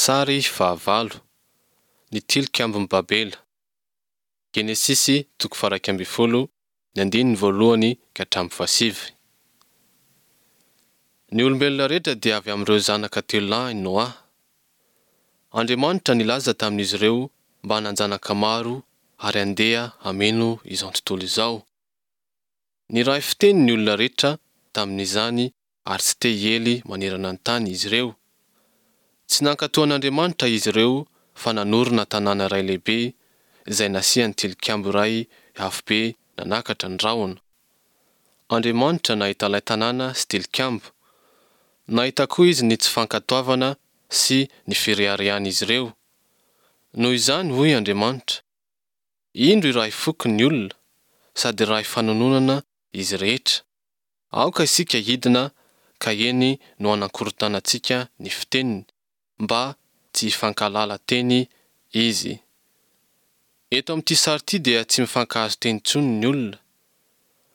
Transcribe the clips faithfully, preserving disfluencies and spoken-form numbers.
Sary fahavalo. Ny tilikambon'i Babela. Genesisy toko faha-iraika ambin'ny folo, ny andininy voalohany ka hatramin'ny fahasivy. Ny olombelona rehetra dia avy amin'ireo zanaka telo lahy Noa. Andriamanitra nilaza tamin'izy ireo mba hanan-janaka maro ary handeha hameno izao tontolo izao. Niray fiteny ny olona rehetra tamin'izany ary tsy te hiely manerana ny tany izy ireo. Tsy nankatò an'Andriamanitra izy ireo fa nanorina tanàna iray lehibe izay nasiany tilikambo iray avo be nanakatra ny rahona. Andriamanitra nahita ilay tanàna sy tilikambo. Nahita koa izy ny tsy fankatoavana sy ny fireharehan'izy ireo. Noho izany hoy Andriamanitra, Indro iray foko ny olona, sady iray fanononana izy rehetra. Aoka isika hidina ka eny no hanakorontanantsika ny fiteniny, mba tsy hifankahalala teny izy. Eto amin'ity sary ity dia tsy mifankahazo teny intsony ny olona.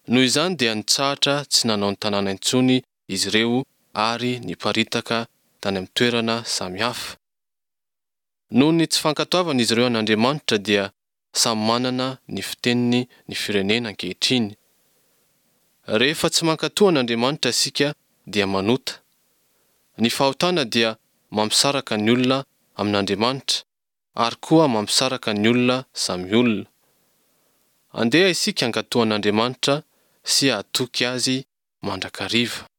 Noho izany dia nitsahatra tsy nanao ny tanàna intsony izy ireo ary niparitaka tany amin'ny toerana samihafa. Noho ny tsy fankatoavan'izy ireo an'Andriamanitra dia samy manana ny fiteniny ny firenena ankehitriny. Rehefa tsy mankatò an'Andriamanitra isika dia manota. Ny fahotana dia mampisaraka ny olona amin'Andriamanitra ary koa mampisaraka ny olona samy olona. Andeha isika hankatò an'Andriamanitra sy hahatoky Azy mandrakariva.